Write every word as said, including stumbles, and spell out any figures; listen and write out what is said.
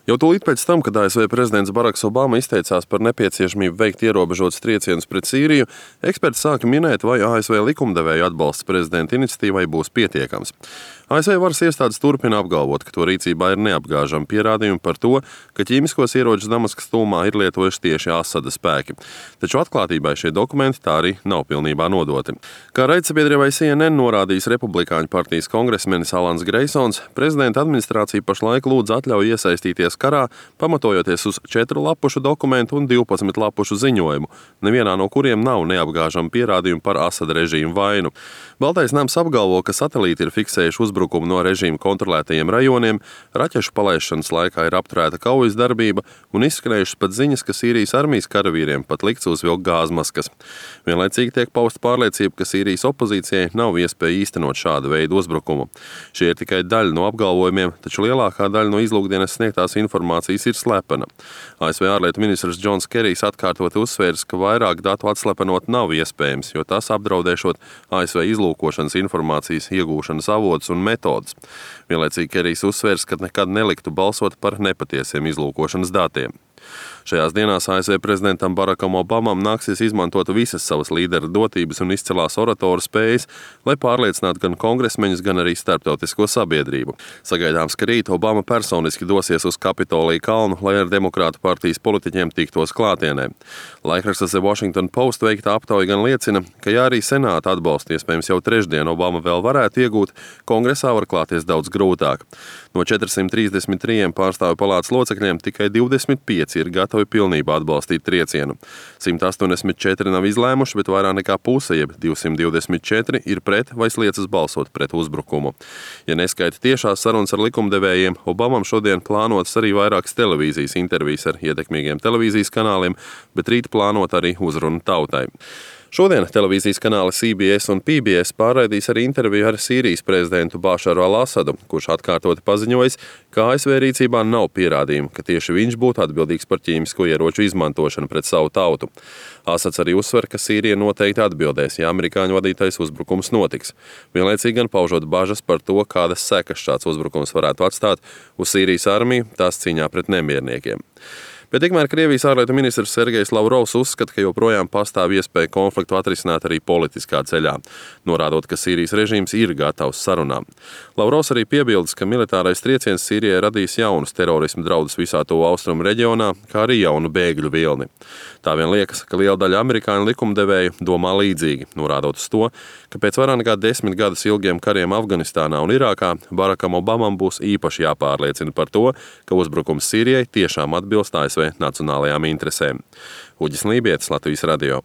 Jau tūlīt pēc tam, kad A S V prezidents Baraks Obama izteicās par nepieciešamību veikt ierobežotus triecienus pret Sīriju, eksperti sāka minēt, vai A S V likumdevēju atbalsts prezidenta iniciatīvai būs pietiekams. A S V varas iestādes turpina apgalvot, ka to rīcībā ir neapgāžami pierādījumi par to, ka ķīmiskos ieročus Damaskas tuvumā ir lietojuši tieši Asada spēki. Taču atklātībai šie dokumenti tā arī nav pilnībā nodoti. Kā raidsabiedrībai C N N norādījis Republikāņu partijas kongresmenis Alans Greisons, prezidenta administrācija pašlaik lūdz atļauju iesaistīties karā, pamatojoties uz četru lapušu dokumentu un divpadsmit lapušu ziņojumu, nevienā no kuriem nav neapgāžami pierādījumi par Asada režīmu vainu. Baltais nams apgalvo, ka satelīti ir fiksējuši uzbrukumu no režīma kontrolētajiem rajoniem, raķešu palaišanas laikā ir apturēta kaujas darbība un izskanējušas pat ziņas, ka Sīrijas armijas karavīriem pat likts uzvilkt gāzmaskas. Vienlaicīgi tiek pausta pārliecība, ka Sīrijas opozīcijai nav iespēja īstenot šādu veidu uzbrukumu. Šie ir tikai daļa no apgalvojumiem, taču lielākā daļa no izlūkdienas sniegtās informācijas ir slepena. A S V ārlietu ministrs Džons Kerijs atkārtoti uzsvērs, ka vairāk datu atslepenot nav iespējams, jo tas apdraudēšot A S V izlūkošanas informācijas iegūšanas avotus un metodas. Vienlaicīgi Kerijs uzsvērs, ka nekad neliktu balsot par nepatiesiem izlūkošanas datiem. Šajās dienās A S V prezidentam Barakam Obamam nāksies izmantot visas savas līdera dotības un izcilās oratoru spējas, lai pārliecinātu gan kongresmeņus, gan arī starptautisko sabiedrību. Sagaidāms, ka rīt Obama personiski dosies uz Kapitolija kalnu, lai ar demokrātu partijas politiķiem tiktos klātienē. Laikraksta The Washington Post veikta aptauja gan liecina, ka ja arī senāta atbalstu iespējams jau trešdien Obama vēl varētu iegūt, kongresā var klāties daudz grūtāk. No četrsimt trīsdesmit trīs pārstāvju palātas locekļiem tikai divdesmit pieci ir gatavi pilnībā atbalstīt triecienu. simt astoņdesmit četri nav izlēmuši, bet vairāk nekā puse, jeb divsimt divdesmit četri, ir pret vai sliecas balsot pret uzbrukumu. Ja neskaita tiešās sarunas ar likumdevējiem, Obamam šodien plānotas arī vairākas televīzijas intervijas ar ietekmīgiem televīzijas kanāliem, bet rīt plānot arī uzrunu tautai. Šodien televīzijas kanāli C B S un P B S pārraidīs arī interviju ar Sīrijas prezidentu Bašaru al-Asadu, kurš atkārtoti paziņojis, ka A S V rīcībā nav pierādījumu, ka tieši viņš būtu atbildīgs par ķīmisko ieroču izmantošanu pret savu tautu. Asads arī uzsver, ka Sīrija noteikti atbildēs, ja amerikāņu vadītais uzbrukums notiks. Vienlaicīgi gan paužot bažas par to, kādas sekas šāds uzbrukums varētu atstāt uz Sīrijas armiju tās cīņā pret nemierniekiem. Bet tikmēr Krievijas ārlietu ministrs Sergejs Lavrovs uzskata, ka joprojām pastāv iespēja konfliktu atrisināt arī politiskā ceļā, norādot, ka Sīrijas režīms ir gatavs sarunām. Lavrovs arī piebildes, ka militārais trieciens Sīrijai radīs jaunus terorismu draudus visā to austrumu reģionā, kā arī jaunu bēgļu vilni. Tā vien liekas, ka liela daļa amerikāņu likumdevēju domā līdzīgi, norādot uz to, ka pēc vairāk nekā desmit gadus ilgiem kariem Afganistānā un Irākā Barakam Obamam būs īpaši jāpārliecina par to, ka uzbrukums Sīrijai tiešām atbilst A S V nacionālajām interesēm. Uģis Lībietis, Latvijas radio.